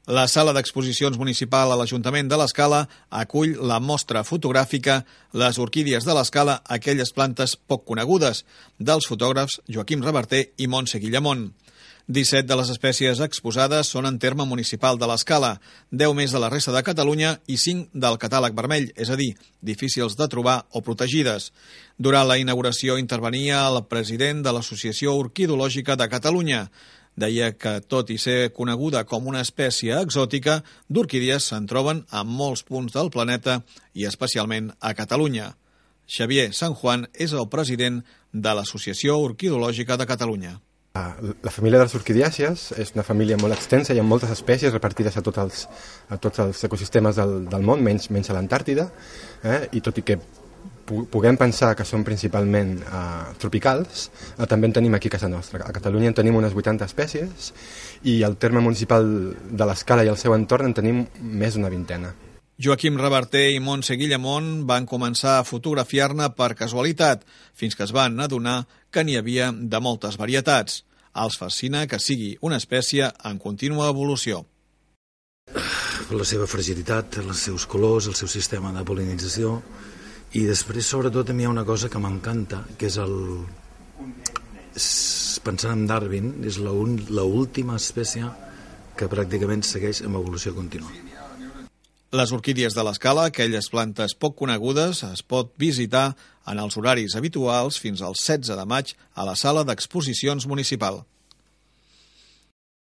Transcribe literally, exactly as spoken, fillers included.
La sala d'exposicions municipal a l'Ajuntament de l'Escala acull la mostra fotogràfica Les orquídies de l'Escala, aquelles plantes poc conegudes, dels fotògrafs Joaquim Reverter i Montse Guillamont. disset de les espècies exposades són en terme municipal de l'Escala, deu més de la resta de Catalunya i cinc del catàleg vermell, és a dir, difícils de trobar o protegides. Durant la inauguració intervenia el president de l'Associació Orquidològica de Catalunya. Deia que, tot i ser coneguda com una espècie exòtica, d'orquídies se'n troben a molts punts del planeta i especialment a Catalunya. Xavier San Juan és el president de l'Associació Orquidològica de Catalunya. La família de les orquidècies és una família molt extensa, hi ha moltes espècies repartides a tots els, a tots els ecosistemes del, del món, menys, menys a l'Antàrtida, eh? I tot i que puguem pensar que són principalment eh, tropicals, eh, també en tenim aquí a casa nostra. A Catalunya en tenim unes vuitanta espècies i al terme municipal de l'Escala i el seu entorn en tenim més d'una vintena. Joaquim Reverter i Montse Guillamont van començar a fotografiar-ne per casualitat, fins que es van adonar que n'hi havia de moltes varietats. Els fascina que sigui una espècie en contínua evolució. La seva fragilitat, els seus colors, el seu sistema de pol·linització, i després, sobretot, a mi hi ha una cosa que m'encanta, que és el... Pensant en Darwin, és l'última espècie que pràcticament segueix amb evolució contínua. Les orquídies de l'Escala, aquelles plantes poc conegudes, es pot visitar en els horaris habituals fins al setze de maig a la sala d'exposicions municipal.